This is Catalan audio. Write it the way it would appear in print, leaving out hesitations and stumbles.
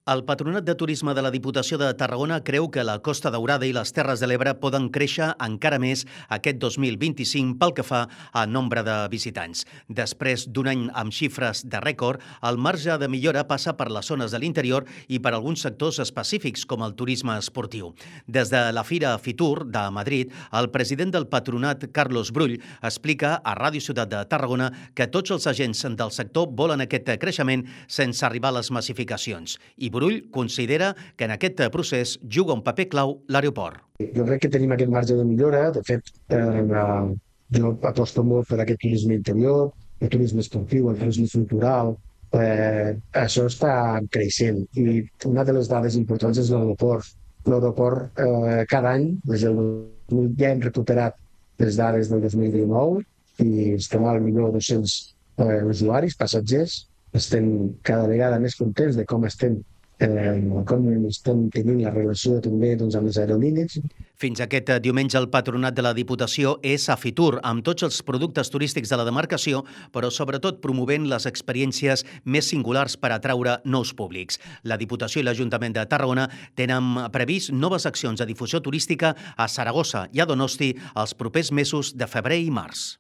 El Patronat de Turisme de la Diputació de Tarragona creu que la Costa Daurada i les Terres de l'Ebre poden créixer encara més aquest 2025 pel que fa a nombre de visitants. Després d'un any amb xifres de rècord, el marge de millora passa per les zones de l'interior i per alguns sectors específics com el turisme esportiu. Des de la Fira Fitur de Madrid, el president del Patronat, Carlos Brull, explica a Ràdio Ciutat de Tarragona que tots els agents del sector volen aquest creixement sense arribar a les massificacions. I Brull considera que en aquest procés juga un paper clau l'aeroport. Jo crec que tenim aquest marge de millora. De fet, jo aposto molt per aquest turisme interior, el turisme esportiu, el turisme cultural. Això està creixent i una de les dades importants és l'aeroport. L'aeroport cada any, des del 2000, ja hem recuperat les dades del 2019 i estem al millor 200 usuaris, passatgers. Estem cada vegada més contents de com estem tenint la relació també amb les aerolínies. Fins aquest diumenge el Patronat de la Diputació és a Fitur, amb tots els productes turístics de la demarcació, però sobretot promovent les experiències més singulars per atraure nous públics. La Diputació i l'Ajuntament de Tarragona tenen previst noves accions de difusió turística a Saragossa i a Donosti els propers mesos de febrer i març.